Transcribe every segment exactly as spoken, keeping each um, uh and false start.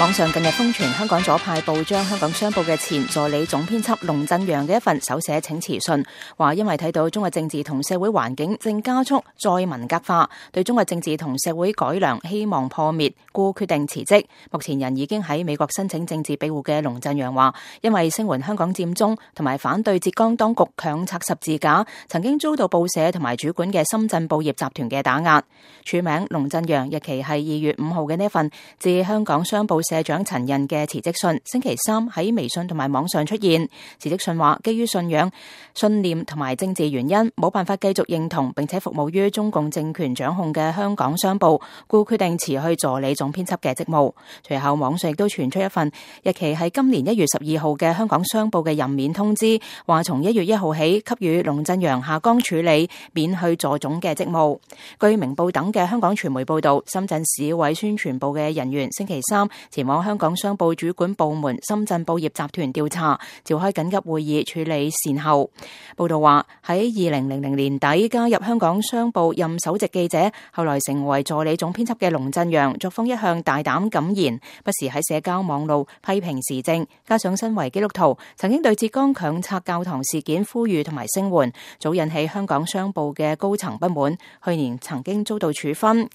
網上近日瘋傳香港左派報章《香港商報》嘅前助理總編輯龍振陽嘅一份手寫請辭信，話因為睇到中國政治同社會環境正加速再文革化，對中國政治同社會改良希望破滅，故決定辭職。目前人已經喺美國申請政治庇護嘅龍振陽話，因為聲援香港佔中同埋反對浙江當局強拆十字架，曾經遭到報社同埋主管嘅深圳報業集團嘅打壓。署名龍振陽，日期係二月五號嘅呢份致香港商報社長陳印嘅辭職信，星期三喺微信同埋網上出現。辭職信話，基於信仰、信念同埋政治原因，冇辦法繼續認同並且服務於中共政權掌控嘅香港商報，故決定辭去助理總編輯嘅職務。隨後網上亦都傳出一份日期係今年一月十二號嘅香港商報嘅任免通知，話從一月一號起給予龍振陽下崗處理，免去助總嘅職務。據明報等嘅香港傳媒報道，深圳市委宣傳部嘅人員星期三前往香港商報主管部門深圳報業集團調查，召開緊急會議處理善後。報道話喺二零零零年底加入香港商報任首席記者，後來成為助理總編輯嘅龍振陽，作風一向大膽敢言，不時喺社交網路批評時政，加上身為基督徒，曾經對浙江強拆教堂事件呼籲同埋聲援，早引起香港商報嘅高層不滿，去年曾經遭到處分。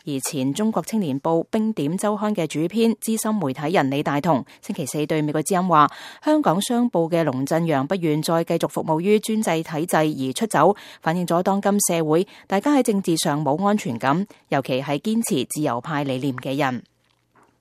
而前中國青年報冰點週刊嘅主編資深媒體人李大同星期四對美國之音話，香港商報嘅龍振陽不願再繼續服務於專制體制而出走，反映咗當今社會大家喺政治上冇安全感，尤其係堅持自由派理念嘅人。